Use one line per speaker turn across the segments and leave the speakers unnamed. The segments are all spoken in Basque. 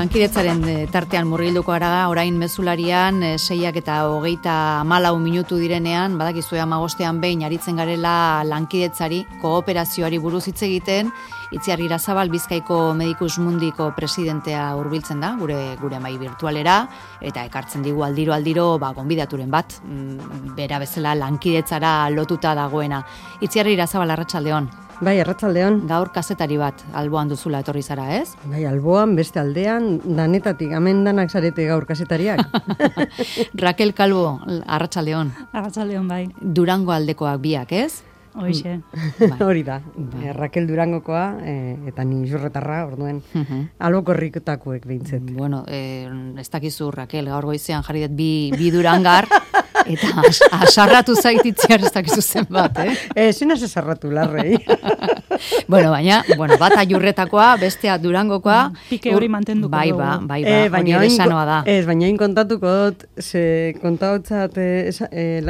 lankidetzaren tartean murgilduko gara, orain mezularian 6:24 minutu direnean, badakizue 15ean behin aritzen garela lankidetzari, kooperazioari buruz hitz egiten. Itziar Irazabal Bizkaiko Medikus Mundiko presidentea hurbiltzen da, gure mai virtualera, eta ekartzen digu aldiro gonbidaturen bat, bera bezala lankidetzara lotuta dagoena. Itziar Irazabal, arratsaldeon.
Bai, arratsaldeon.
Gaur kazetari bat alboan duzula etorri zara, ez?
Bai, alboan, beste aldean, danetatik, hemen danak zarete gaur kazetariak.
Raquel Calvo, arratsaldeon.
Arratsaldeon, bai.
Durango aldekoak biak, ez?
Hoixe.
Hori da. Raquel Durangokoa eta ni Jurretarra, orduen albokorrikotakoek behintzet.
Bueno, ez dakizu, Raquel, gaur goizean jarri dut bi Durangar, eta asarratu zaititziar ez dakizu zenbat,
Zinaz esarratu, larrei.
baina, bata Jurretakoa, bestea Durangokoa.
Pike hori mantenduko dugu.
Bai, hori ere sanoa da.
Ez, baina kontatuko dut, ze kontaotzat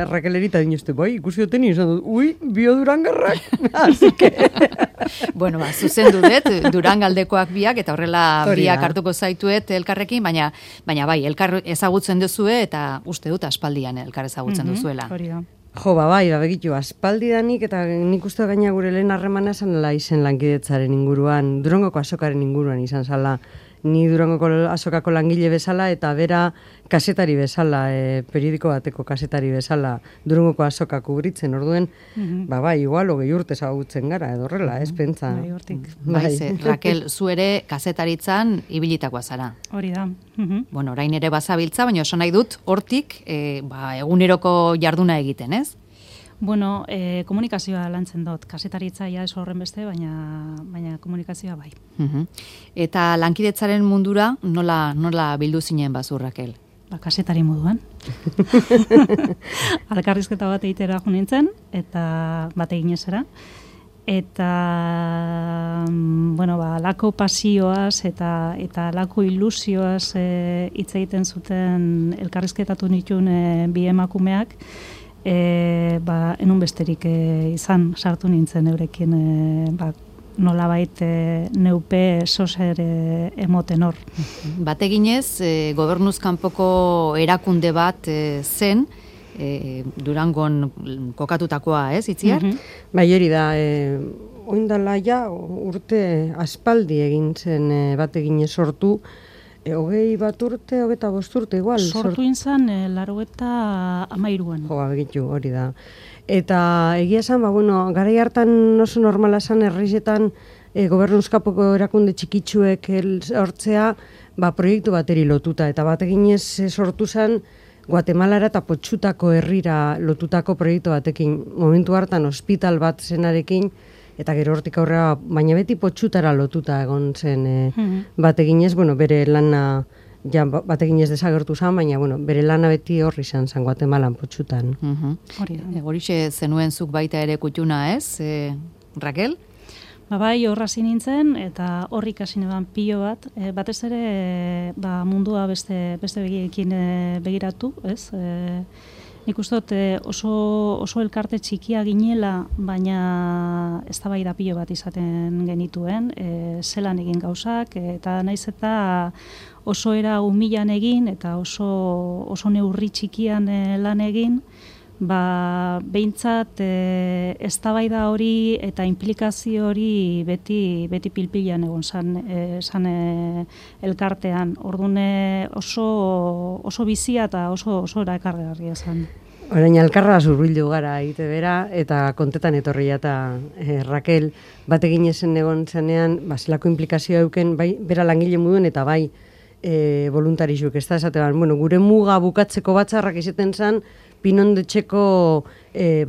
Raquel erita dinuzte, bai, ikusi duten izan dut, bio Durangarrak, así que...
Bueno, zuzendu dut, Durangaldekoak biak, eta horrela biak hartuko zaituet elkarrekin, baina bai, elkar ezagutzen duzue, eta uste dut aspaldian elkar ezagutzen duzuela.
Hori da.
Jo, bai, begitu, aspaldidanik, eta nik uste gaina gure lehen harremana zanela izen lankidetzaren inguruan, Durangoko azokaren inguruan izan zala. Ni Durangoko azokako langile bezala, eta bera kasetari bezala, periodiko bateko kasetari bezala, Durangoko azoka kubritzen, orduen, bai, igual, 20 urte ezagutzen gara, edo horrela, ez pentsa.
Bai, hortik.
Raquel, zu ere kasetaritzan ibilitakoa zara.
Hori da.
Bueno, orain ere bazabiltza, baina oso nahi dut, hortik, eguneroko jarduna egiten, ez?
Bueno, komunikazioa lantzen dut. Kasetaritza ja ez horren beste, baina komunikazioa bai.
Eta lankidetzaren mundura nola bildu zinen bazu, Raquel?
Kasetari moduan. Alkarrizketa bat egitera jo nintzen, eta bat eginezera. Eta, lako pasioaz eta lako ilusioaz hitz egiten zuten elkarrizketatu nituen bi emakumeak, enun besterik izan sartu nintzen eurekin, nolabait neupe soser emoten hor.
Bateginez, gobernuz kanpoko erakunde bat zen, Durangon kokatutakoa, ez, Itziar?
Bai, hori da, oindala ja urte aspaldi egin zen bateginez sortu, 21 urte, 25 urte, igual.
Sortu inzan, 93an.
Jo, begitu, hori da. Eta egia esan, garai hartan oso normala esan herrizetan gobernuzkapoko erakunde txikitsuek hortzea, proiektu bateri lotuta. Eta bateginez sortu zen, Guatemalara eta Potxutako herrira lotutako proiektu batekin. Momentu hartan ospital bat zenarekin, eta gero hortik aurrera, baina beti Potxutara lotuta egon zen bateginez, bere lana bateginez desagertu zen, baina bere lana beti horri zen Guatemalan Potxutan.
Horixe zenuen zuk baita ere kutxuna, ez, Raquel?
Bai, horra nintzen, eta horri ikasi neban pilo bat, batez ere mundua beste begiekin begiratu, ez? Nik uste dut oso elkarte txikia ginela, baina eztabaida pilo bat izaten genituen, zelan egin gauzak, eta naiz eta oso era umilan egin, eta oso neurri txikian lan egin, behintzat eztabaida hori eta implikazio hori beti pilpilan egon zan elkartean. Orduan oso bizia eta oso erakargarria zan.
Orain alkarra zurbildu gara egite bera, eta kontetan etorria eta Raquel batekin esen egon zenean, zelako implikazioa euken, bai, bera langile moduen eta bai voluntarizuk, ez da esatean. Gure muga bukatzeko batzarrak izaten zen, Pinondetxeko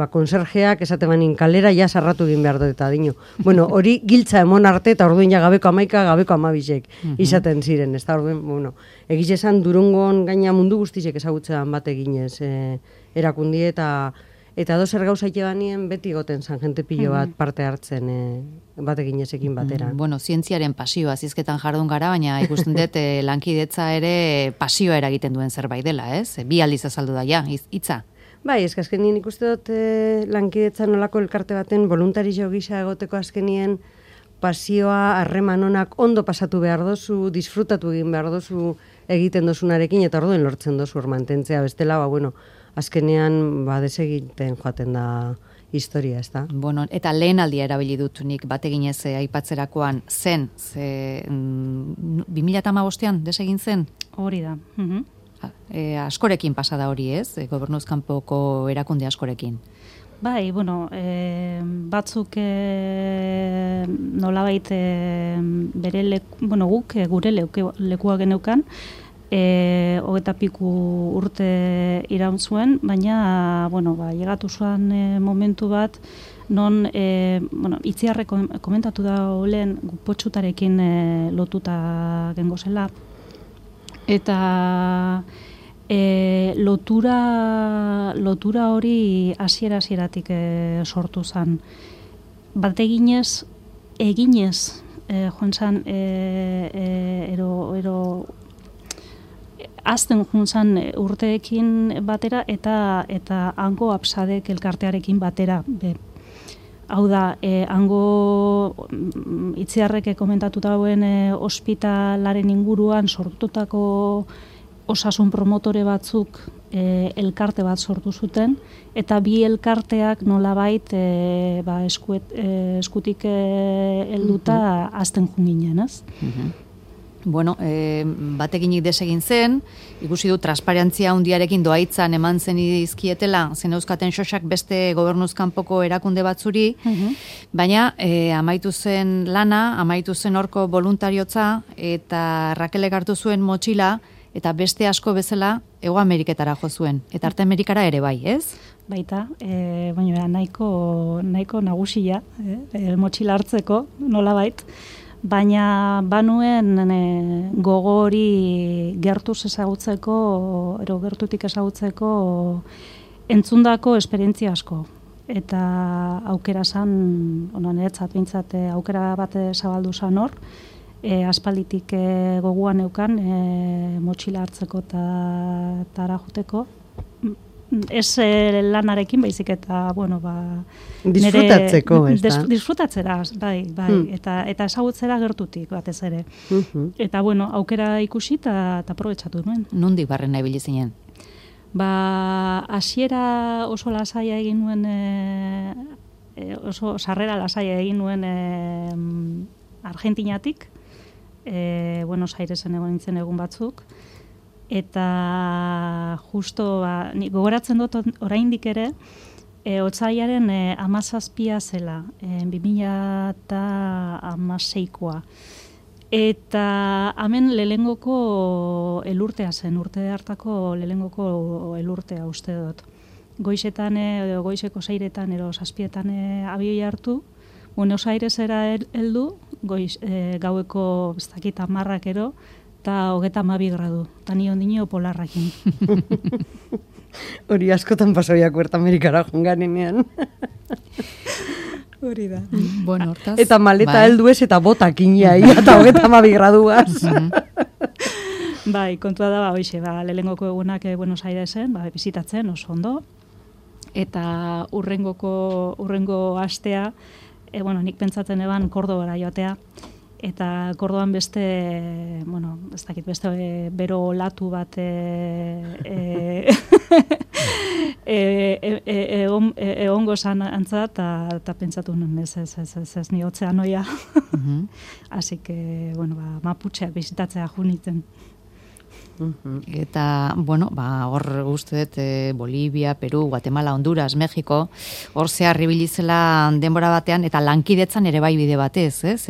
konserjeak esatebanin kalera ja sarratu egin behar dut eta dino. Hori giltza emon arte eta orduan ja gabeko 11, gabeko 12 izaten ziren. Ez da orduan, egiz esan Durangon gaina mundu guztizek ezagutzean bat eginez erakundie eta dozer gauza itebanien beti goten zan jente pilo bat parte hartzen bat eginezekin batera.
Zientziaren pasioa zizketan jardun gara, baina ikusten dut lankidetza ere pasioa eragiten duen zerbait dela, ez? Bi aldiz azaldu da, hitza.
Bai, azkenien ikuste dut lankidetza nolako elkarte baten voluntario gisa egoteko azkenien pasioa, harreman onak ondo pasatu behar dozu, disfrutatu egin behar dozu egiten dozunarekin, eta orduen lortzen dozu hor mantentzea, bestela, azkenean, desegiten joaten da historia, ez da?
Bueno, eta lehen aldia erabili dut nik bateginez aipatzerakoan zen, 2015an desegin zen?
Hori da.
Askorekin pasada hori ez, gobernuzkanpoko erakunde askorekin.
Bai, batzuk nolabait bere guk gure lekua geneukan, 20 piku urte iraun zuen, baina, llegatu zuen momentu bat, non, Itziarre komentatu da lehen potxutarekin lotuta gengo zela, eta lotura hori hasieratik sortu zen. Bat eginez, joan zen, azten joan zen urteekin batera, eta hango absadek elkartearekin batera. Hau da, hango Itziarrek komentatu dauen ospitalaren inguruan sortutako osasun promotore batzuk elkarte bat sortu zuten, eta bi elkarteak nolabait eskutik helduta azten junginen, ez?
Bueno, bateginik desegin zen, ikusi du transparentzia handiarekin doaitzan eman zen izkietela, zen euskaten xosak beste gobernuzkanpoko erakunde batzuri, baina amaitu zen lana, amaitu zen horko voluntariotza, eta Rakelek hartu zuen motxila, eta beste asko bezala Hego Ameriketara jo zuen, eta Arte Amerikara ere bai, ez?
Baita, baina nahiko nagusia, motxila hartzeko, nolabait, baina banuen gogo hori gertuz ezagutzeko, gertutik ezagutzeko entzundako esperientzia asko. Eta aukera zan, niretzat bintzat, aukera bat zabaldu zan hor, aspalditik goguan eukan motxila hartzeko eta arajuteko. Ez lanarekin baizik eta,
disfrutatzeko, ez da?
Disfrutatzera, bai, eta ezagutzera gertutik batez ere. Eta, aukera ikusi eta aprobetxatu nuen.
Nondik barren nahi bilizinen?
Hasiera oso lasaia egin nuen, oso sarrera lasaia egin nuen Argentinatik, Buenos Airesen egon nintzen egun batzuk, eta justo, gogoratzen dut oraindik ere, otsailaren 17 zela, 2016koa. Eta hemen lelengoko elurtea zen, urte hartako lelengoko elurtea uste dut. Goizetan, goizeko 6etan, ero 7etan abioi hartu, Buenos Airesera heldu, gaueko 10 ero, eta 32 gradu, eta ni ondino polarrakin.
Hori askotan pasoiak Huerta Amerikara jonganenean.
Hori da.
Bueno, hortaz.
Eta maleta heldu ez eta botakin jaia, eta 32 graduaz.
Bai, kontua da, hoxe, lehengoko egunak Buenos Airesen, bizitatzen, oso ondo. Eta urrengo astea, nik pentsatzen eban Kordobara joatea, eta Kordoban beste, ez dakit, beste bero olatu bat egongo zan antza, eta pentsatu nuen, ez ni otzeanoia. Así que, Maputxeak bizitatzea junitzen.
Eta, hor uste dut Bolivia, Peru, Guatemala, Honduras, Mexiko, hor zehar ibilizela denbora batean, eta lankidetzan ere bai bide batez, ez?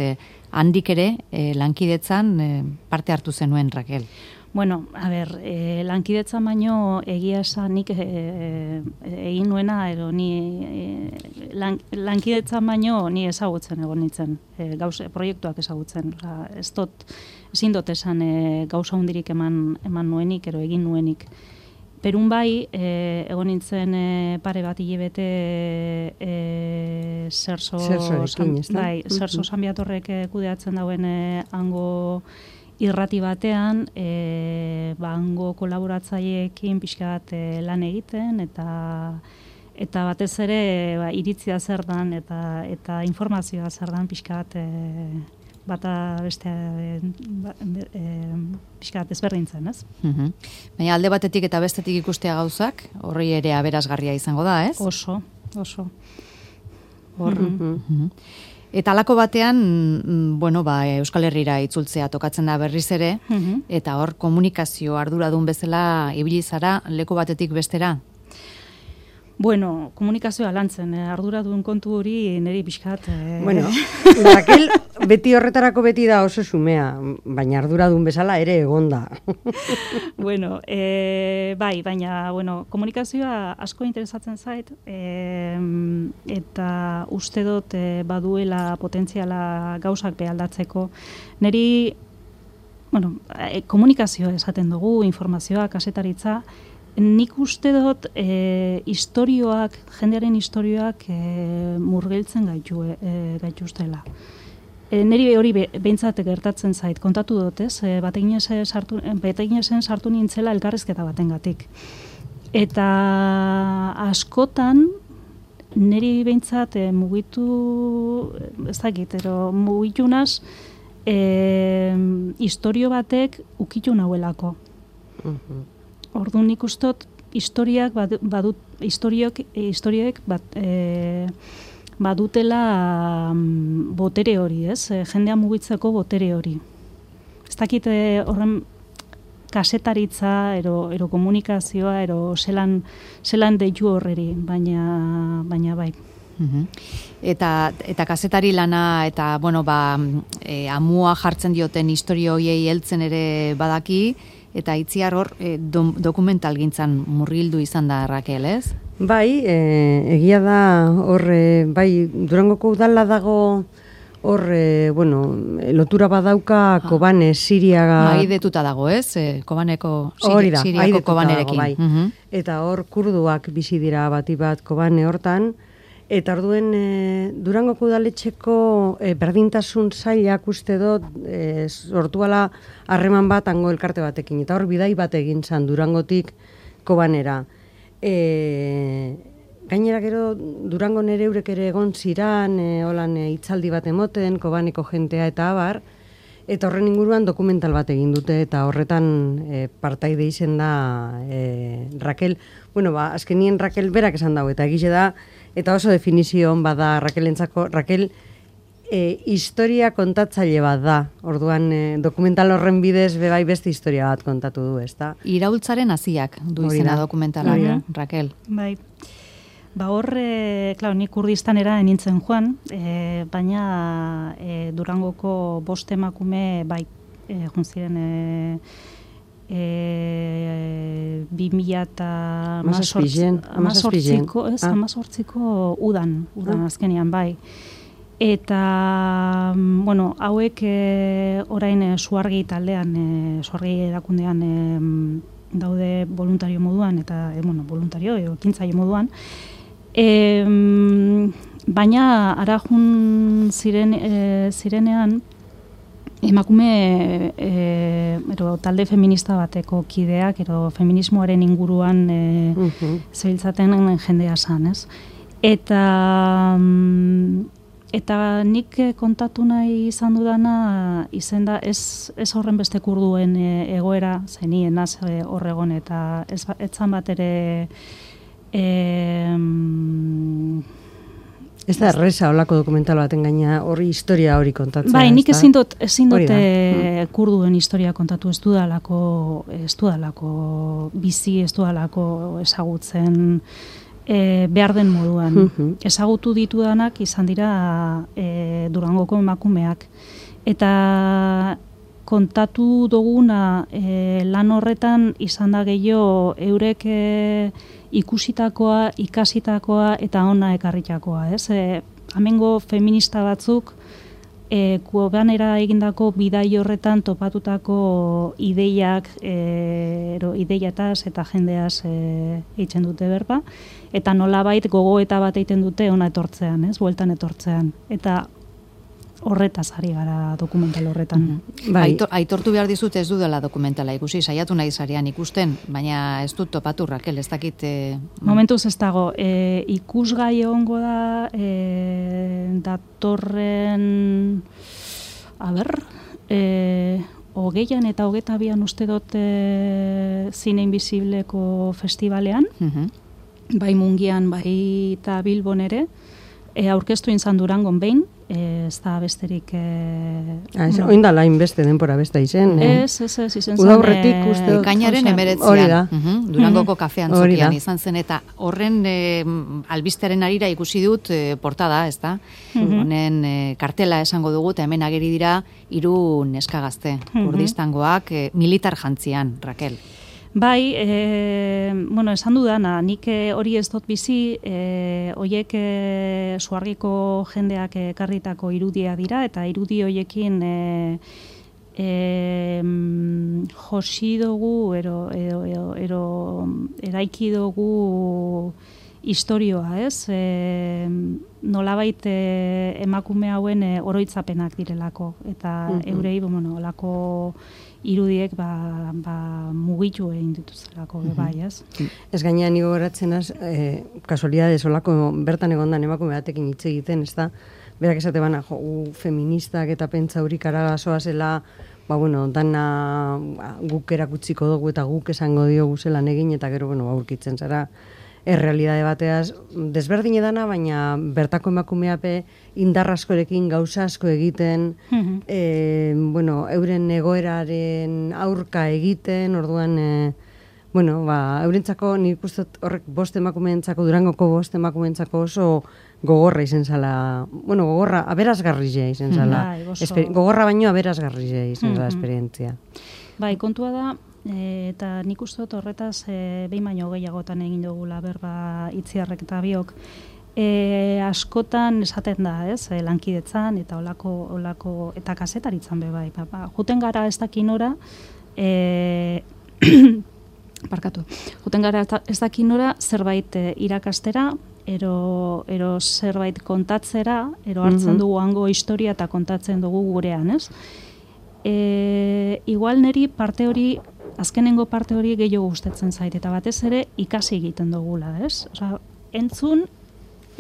Handik ere, lankidetzan parte hartu zenuen, Rakel.
Bueno, lankidetzan baino egia esan nik egin nuena, lankidetzan baino ni ezagutzen egon nintzen, proiektuak ezagutzen. Ezin dut esan gauza hundirik eman nuenik, egin nuenik. Perun bai, egon nintzen pare bat hilabete Zerso Sanbiatorrek kudeatzen dauen hango irrati batean, hango kolaboratzaileekin pixka bat lan egiten, eta eta batez ere iritzia zer dan eta informazioa zer dan pixka bat bata beste pixka bat ezberdintzen, ez?
Baina alde batetik eta bestetik ikustea gauzak, horri ere aberasgarria izango da, ez?
Oso.
Eta halako batean, Euskal Herrira itzultzea tokatzen da berriz ere, eta hor komunikazio arduradun bezala ibili zara leku batetik bestera?
Bueno, komunikazioa lantzen, arduradun kontu hori niri pixkat...
Raquel, beti horretarako beti da oso xumea, baina arduradun bezala ere egonda.
Bai, baina, komunikazioa asko interesatzen zait, eta uste dut baduela potentziala gauzak behaldatzeko. Niri, komunikazioa esaten dugu, informazioa, kasetaritza, nik uste dut jendearen istorioak murgiltzen gaituztela. Niri hori behintzat gertatzen zait, kontatu dut, ez? Bateginesen sartu nintzela elkarrizketa batengatik. Eta askotan, niri behintzat mugitu, ez dakit, mugitu naz, istorio batek ukitu nahuelako. Orduan nik ustot historioek badutela botere hori, ez? Jendea mugitzeko botere hori. Ez dakit horren kasetaritza, ero komunikazioa, ero zelan deitu horreri, baina bai.
Eta kazetari lana eta amua jartzen dioten historio hoiei heltzen ere badaki, eta Itziar hor dokumentalgintzan murgildu izan da, Raquel, ez?
Bai, egia da hor, Durangoko udala dago hor, lotura badauka Kobane, Siriaga...
Aidetuta dago, ez? Siriako Kobanerekin.
Bai. Eta hor kurduak bizi dira bati bat Kobane hortan, eta orduen Durangoko udaletxeko berdintasun sailak uste dut sortuala harreman bat hango elkarte batekin. Eta hor bidai bat egin zan Durangotik Kobanera. Gainera gero Durango nere eurek ere egon ziran, hitzaldi bat emoten, Kobaneko jentea eta abar, eta horren inguruan dokumental bat egin dute, eta horretan partaide izen da Raquel. Azkenien Raquel berak esan dago, eta egize da, eta oso definizio hon bada Raquelentzako, Raquel historia kontatzaile bat da. Orduan dokumental horren bidez bebai beste historia bat kontatu du, ezta?
Iraultzaren haziak du izena dokumentalak, Raquel.
Bai. Hor, nik Kurdistanera nintzen joan, baina Durangoko 5 emakume bai junziren 2018ko udan azkenean, bai. Eta, hauek orain Suargi taldean, Suargi erakundean daude voluntario moduan, eta, voluntario, ekintzaile moduan. Baina, arajun zirenean, emakume talde feminista bateko kideak, feminismoaren inguruan zebiltzaten jendea zan, ez? Eta nik kontatu nahi izan dudana izen da ez horren beste kurduen egoera zenien naz horregon, eta ez zan bat ere
ez da erresa olako dokumental baten gaina horri historia hori kontatzea.
Bai, nik ezin dut kurduen historia kontatu, ez dudalako bizi, ez dudalako ezagutzen behar den moduan. Ezagutu ditudanak izan dira Durangoko emakumeak. Eta kontatu duguna lan horretan izan da gehiago eurek ikusitakoa, ikasitakoa eta ona ekarritakoa, ez? Hemengo feminista batzuk Kobanera egindako bidai horretan topatutako ideiak, ideiataz eta jendeaz egiten dute berba, eta nolabait gogoeta bat egiten dute ona etortzean, ez? Bueltan etortzean. Eta horretaz ari gara dokumental horretan.
Bai. Aitortu behar dizut ez dudala dokumentala ikusi, saiatu nahi zarean ikusten, baina ez dut topatu, Rakel, ez dakit...
Momentuz ez dago, ikusgai egongo da datorren... hogeian eta 22an uste dut Zine Invisibleko festivalean, bai Mungian, bai eta Bilbon ere, aurkeztu izan Durangon behin, ez da besterik...
Oin da lain beste denpora beste izen.
Ez, izen zen...
Udaurretik uste dut.
Ekainaren 19an, Durangoko kafean zokian izan zen, eta horren albistearen arira ikusi dut portada, ez da? Honen kartela esango dugu, eta hemen ageri dira 3 neska gazte, kurdistangoak, militar jantzian, Rakel.
Bai, esan dudana, nik hori ez dut bizi, hoiek suargiko jendeak ekarritako irudia dira, eta irudi hoiekin josi dugu, eraiki dugu historioa, ez? Nolabait emakume hauen oroitzapenak direlako, eta eurei, olako irudiek mugitu egin dituztelako, bai, ez?
Ez gainean nigo goratzen az, kasualidades olako bertan egondan emakume batekin hitz egiten, ez da? Berak esate bana, feministak eta pentsa hurik aragazoa zela, dana guk erakutsiko dugu eta guk esango diogu zelan egin, eta gero, aurkitzen zara, errealidade bateaz, desberdin edana, baina bertako emakumeape indar askorekin gauza asko egiten, euren egoeraren aurka egiten, orduan, eurentzako, nik ustot horrek 5 emakumeentzako, Durangoko 5 emakumeentzako oso gogorra izen zala, gogorra, aberazgarria izen zala, gogorra baino aberazgarria izen zala esperientzia.
Bai, kontua da, eta nik uste dut horretaz behin baino gehiagotan egin dugula berba Itziarrek eta biok, askotan esaten da, ez, lankidetzan eta olako eta kazetaritzan be bai. Juten gara ez dakinora, juten gara ez dakinora zerbait irakastera, ero zerbait kontatzera, ero hartzen dugu hango historia eta kontatzen dugu gurean, ez? Igual neri parte hori, azkenengo parte hori gehiago gustatzen zait, eta batez ere ikasi egiten dugula, ez? Osea, entzun,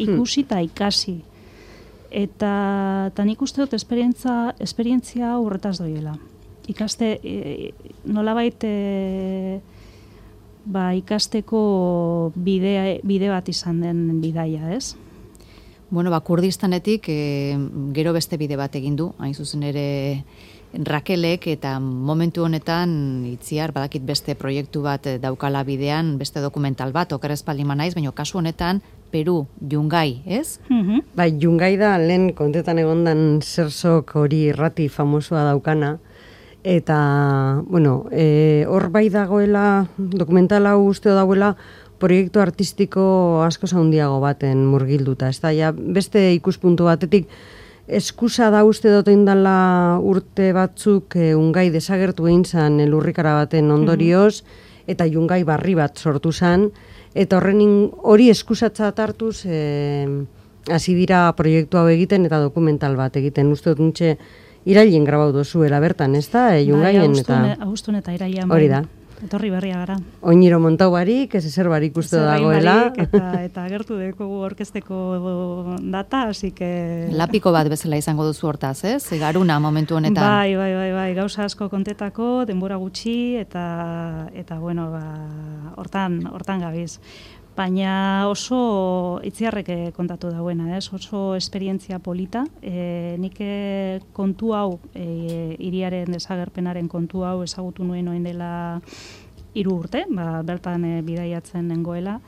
ikusi eta ikasi. Eta nik uste dut esperientzia horretaz doiela. Ikaste, nolabait ikasteko bide bat izan den bidaia, ez?
Kurdistanetik gero beste bide bat egin du, hain zuzen ere Rakelek, eta momentu honetan Itziar badakit beste proiektu bat daukala bidean, beste dokumental bat, okerrez palima naiz, baina kasu honetan Peru, Yungay, ez?
Bai, Yungay da lehen kontetan egondan zerzok hori irrati famosoa daukana, eta, hor bai dagoela, dokumental hau usteo dagoela, proiektu artistiko asko handiago baten murgilduta. Ez da, beste ikuspuntu batetik, eskusa da uste dut indala urte batzuk Yungay desagertu egin zan lurrikara baten ondorioz, eta Yungay barri bat sortu zan, eta hori eskusatzat hartuz hasi dira proiektu hau egiten eta dokumental bat egiten. Uste dut nintxe irailen grabau dozuela bertan, ez da? Yungayen eta...
Augustun eta irailean.
Hori da.
Etorri berria gara.
Oiniro montau barik, ez ezer barik uste dagoela.
Eta agertu dekogu orkesteko data, hasi que...
Lapiko bat bezala izango duzu hortaz, ez? Garuna momentu honetan.
Bai, gauza asko kontetako, denbora gutxi, eta hortan gabiz. Baina oso Itziarrek kontatu dauena, ez? Oso esperientzia polita. Nik kontu hau, hiriaren desagerpenaren kontu hau ezagutu nuen oin dela 3 urte, bertan bidaiatzen nengoela.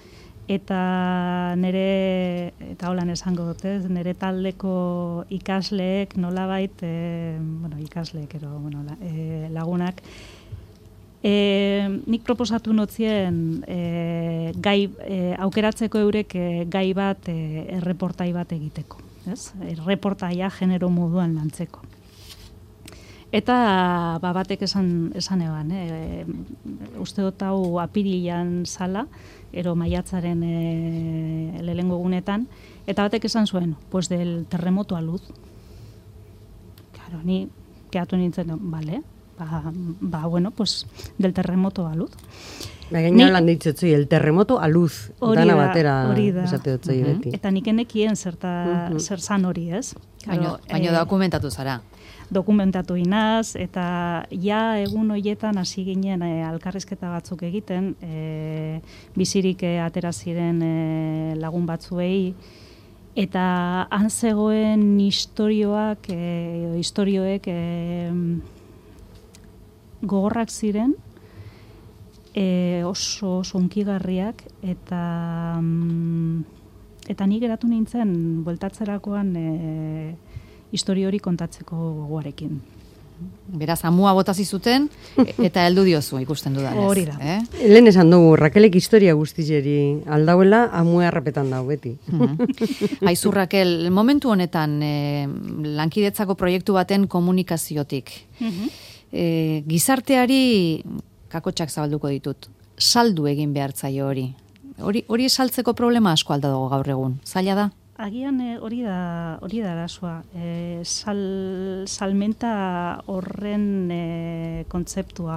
Eta eta holan esango dut, nire taldeko ikasleek nolabait, ikasleek, lagunak, nik proposatu notzien aukeratzeko eurek gai bat, erreportai bat egiteko, ez? Erreportaia genero moduan lantzeko. Eta batek esan eban, uste dut hau apirilan zala, ero maiatzaren lehengo egunetan, eta batek esan zuen, pues del terremoto a luz. Claro, ni kehatu nintzen, bale, bueno, pues, del terremoto a luz.
Gaina lan ditzetzoi, el terremoto a luz, dana batera esate dutzoi beti.
Eta nik enekien zer zan hori, ez?
Baina dokumentatu zara.
Dokumentatu inaz, eta ja egun hoietan hasi ginen alkarrizketa batzuk egiten, bizirik atera ziren lagun batzuei, eta han zegoen istorioek gogorrak ziren, oso hunkigarriak, eta nik geratu nintzen bueltatzerakoan historio hori kontatzeko gogoarekin.
Beraz, amua botazi zuten, eta heldu diozu ikusten dudanez.
Hori da.
Lehen esan dugu, Rakelek historia guztizeri aldauela, amua errapetan dau beti.
Aizu, Rakel, momentu honetan lankidetzako proiektu baten komunikaziotik. Gizarteari kakotxak zabalduko ditut. Saldu egin behartzaio hori. Hori saltzeko problema asko alda dago gaur egun. Zaila da?
Agian hori da arazoa. Salmenta horren kontzeptua.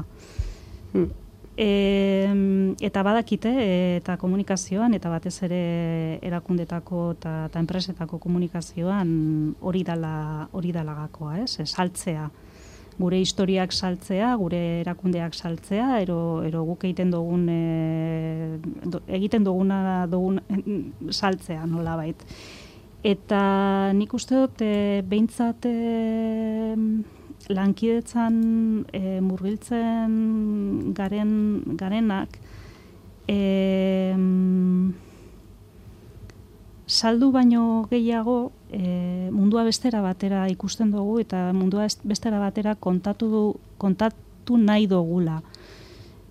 Eta badakite, eta komunikazioan, eta batez ere erakundetako eta enpresetako komunikazioan hori dala gakoa, ez? Saltzea. Gure historiak saltzea, gure erakundeak saltzea, ero guk egiten duguna saltzea, nolabait. Eta nik uste dut, behintzat lankidetzan murgiltzen garenak, saldu baino gehiago mundua bestera batera ikusten dugu eta mundua bestera batera kontatu nahi dugula.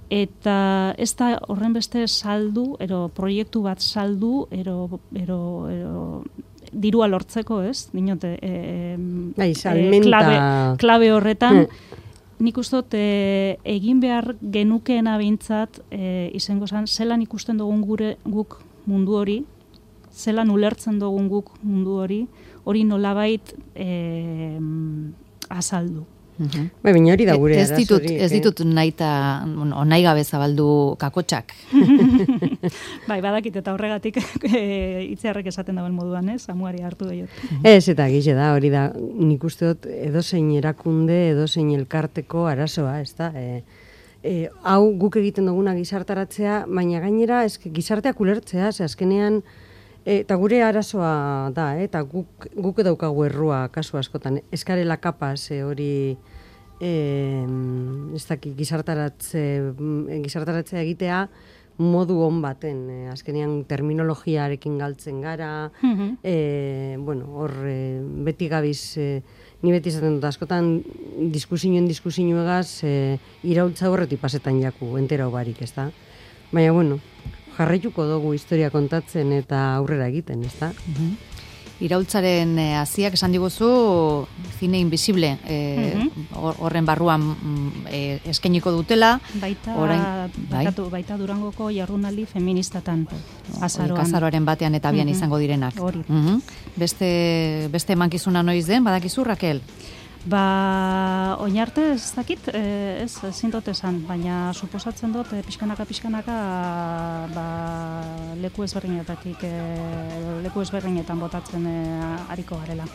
Eta ez da horren beste saldu, proiektu bat saldu, dirua lortzeko, ez? Dinote, klabe horretan, nik uste dut egin behar genukeena behintzat izango zen, zelan ikusten dugun guk mundu hori, zelan ulertzen dugun guk mundu hori nolabait azaldu.
Baina hori da gure
ez ditut nahi gabe zabaldu kakotxak.
Badakit eta horregatik itziarrek esaten dauen moduan, ez? Amuari hartu daiot.
Ez, eta gize da, hori da, nik uste dut edozein erakunde, edozein elkarteko arazoa, ez da? Hau guk egiten duguna gizartaratzea, baina gainera gizarteak ulertzea, azkenean, eta gure arazoa da, eta guk daukagu errua kasu askotan, eskarela kapaz hori ez dakit gizartaratzea egitea modu on baten, azkenean terminologiarekin galtzen gara, hor beti gabiz, ni beti izaten dut askotan diskusinuegaz iraultza horretik pasetan jaku, entera barik, ez da? Baina, jarraituko dugu historia kontatzen eta aurrera egiten, ez da?
Iraultzaren hasiak esan diguzu Cine Invisible horren barruan eskainiko dutela.
Baita Durangoko jardunaldi feministatan azaroan.
Azaroaren batean eta abian izango direnak. Beste emankizuna noiz den, badakizu, Rakel?
Oin arte ez dakit, ez zintot esan, baina suposatzen dut pixkanaka leku ezberdinetan botatzen ariko garela.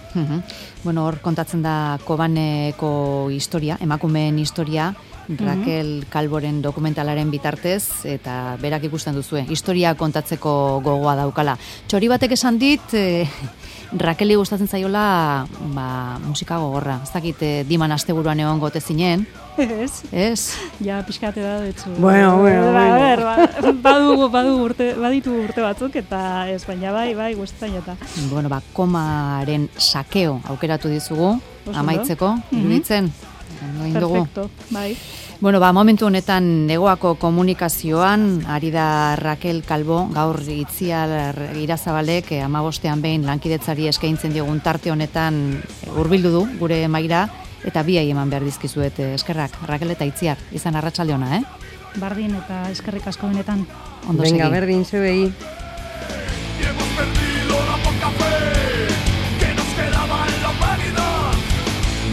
Hor kontatzen da Kobaneko historia, emakumeen historia, Rakel Calvoren dokumentalaren bitartez, eta berak ikusten duzue, historia kontatzeko gogoa daukala. Txori batek esan dit, Rakeli gustatzen zaiola musika gogorra. Ez dakit Diman asteburuan egon gote zinen. Ez?
Ja, pixkate da detzu.
Bueno.
Baditu urte batzuk, eta ez, baina bai, gustatzen jota.
Komaren sakeo aukeratu dizugu, amaitzeko, iruditzen.
Perfecto, bai.
Momentu honetan Negoako komunikazioan ari da Rakel Calvo, gaur Itziar Irazabalek 15ean behin lankidetzari eskaintzen diogun tarte honetan hurbildu du gure maira, eta biai eman behar dizkizuet eskerrak, Rakel eta Itziar, izan arratsalde ona,
Bardin eta eskerrik asko benetan.
Ondo segi.
Venga, berdin, zebei.
Hemos perdido la poca fe que nos quedaba en la humanidad.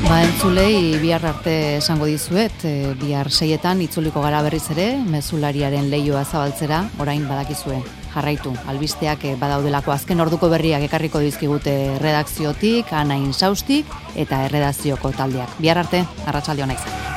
Entzulei bihar arte esango dizuet, bihar 6etan itzuliko gara berriz ere, mezulariaren leioa zabaltzera, orain badakizue. Jarraitu, albisteak badaudelako azken orduko berriak ekarriko dizkigute redakziotik, Ana Insaustik eta erredakzioko taldeak. Bihar arte, arratsalde ona izan.